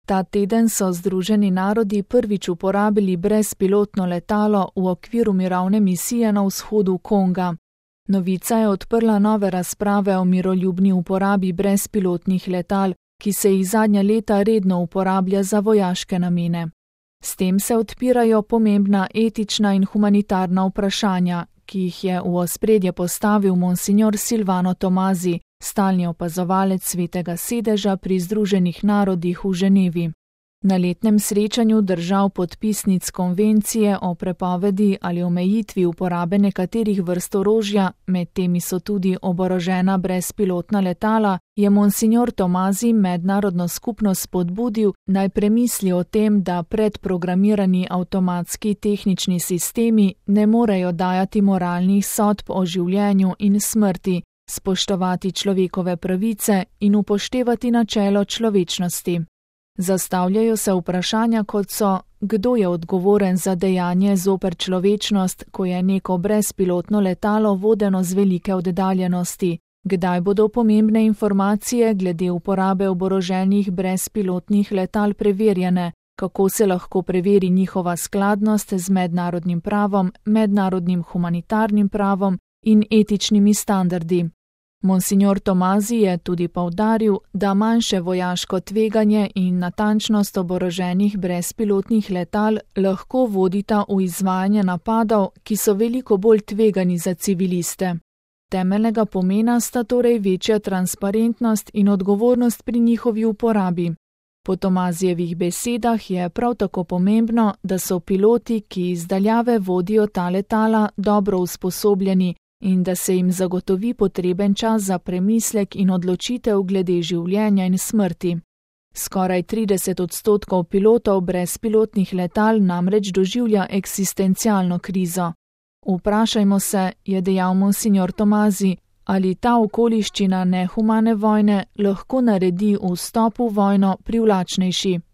Ta teden so Združeni narodi prvič uporabili brezpilotno letalo v okviru mirovne misije na vzhodu Konga. Novica je odprla nove razprave o miroljubni uporabi brezpilotnih letal, ki se jih zadnja leta redno uporablja za vojaške namene. S tem se odpirajo pomembna etična in humanitarna vprašanja, ki jih je v ospredje postavil monsignor Silvano Tomasi, stalni opazovalec Svetega sedeža pri Združenih narodih v Ženevi. Na letnem srečanju držav podpisnic konvencije o prepovedi ali omejitvi uporabe nekaterih vrst orožja, med temi so tudi oborožena brezpilotna letala, je monsignor Tomasi mednarodno skupnost spodbudil, naj premisli o tem, da predprogramirani avtomatski tehnični sistemi ne morejo dajati moralnih sodb o življenju in smrti, spoštovati človekove pravice in upoštevati načelo človečnosti. Zastavljajo se vprašanja, kot so, kdo je odgovoren za dejanje zoper človečnost, ko je neko brezpilotno letalo vodeno z velike oddaljenosti, kdaj bodo pomembne informacije glede uporabe oboroženih brezpilotnih letal preverjene, kako se lahko preveri njihova skladnost z mednarodnim pravom, mednarodnim humanitarnim pravom in etičnimi standardi. Monsignor Tomasi je tudi poudaril, da manjše vojaško tveganje in natančnost oboroženih brezpilotnih letal lahko vodita v izvajanje napadov, ki so veliko bolj tvegani za civiliste. Temeljnega pomena sta torej večja transparentnost in odgovornost pri njihovi uporabi. Po Tomasijevih besedah je prav tako pomembno, da so piloti, ki iz daljave vodijo ta letala, dobro usposobljeni in da se jim zagotovi potreben čas za premislek in odločitev glede življenja in smrti. Skoraj 30% pilotov brezpilotnih letal namreč doživlja eksistencialno krizo. Vprašajmo se, je dejal monsignor Tomasi, ali ta okoliščina nehumane vojne lahko naredi vstop v vojno privlačnejši.